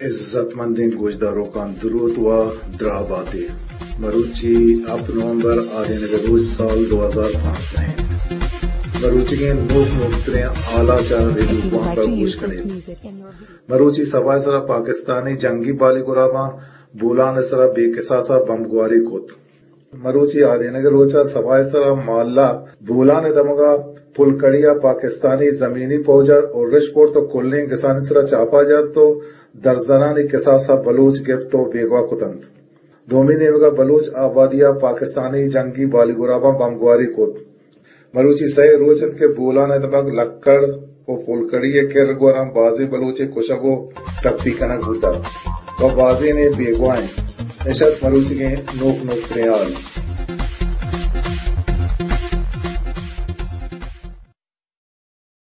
عزت مندیں گوشداروکاں درود و دراہ باتے۔ مروچی ہپت نومبر، آدینگ ءِ روچ، سال دو ہزار پانزدہ انت۔ مروچیگیں نوک نوکتریں حالاں چہ ریڈیو کوانگ ءَ گوش کنیت۔ مروچی سبا ءِ سرا پاکستانی جنگی بالی گراباں بولان ءِ سرا بے کساس ءَ بمبگواری کت۔ مروچی آدینگ ءِ روچ ءَ سبا ءِ سرا مالہ بولان ءِ دمگ ءَ پلکڑی ءَ پاکستانی زمینی پوج ءَ ارش کرت و کلیں گسانی سرا چاپہ جت و درزنانی کساس ءَ بلوچ گپت و بیگواہ کت انت۔ دومی نیمگ ءَ بلوچ آبادی ءَ پاکستانی جنگی بالی گراباں بمبگواری کت۔ مروچی سئے روچ انت کہ بولان ءِ دمگ لکڑ و پلکڑی ءِ کر گوراں بازیں بلوچے کشگ و ٹپی کنگ بوتگ و بازینے بیگواہ انت۔ اش ات مروچیگیں نوک نوکتریں حال۔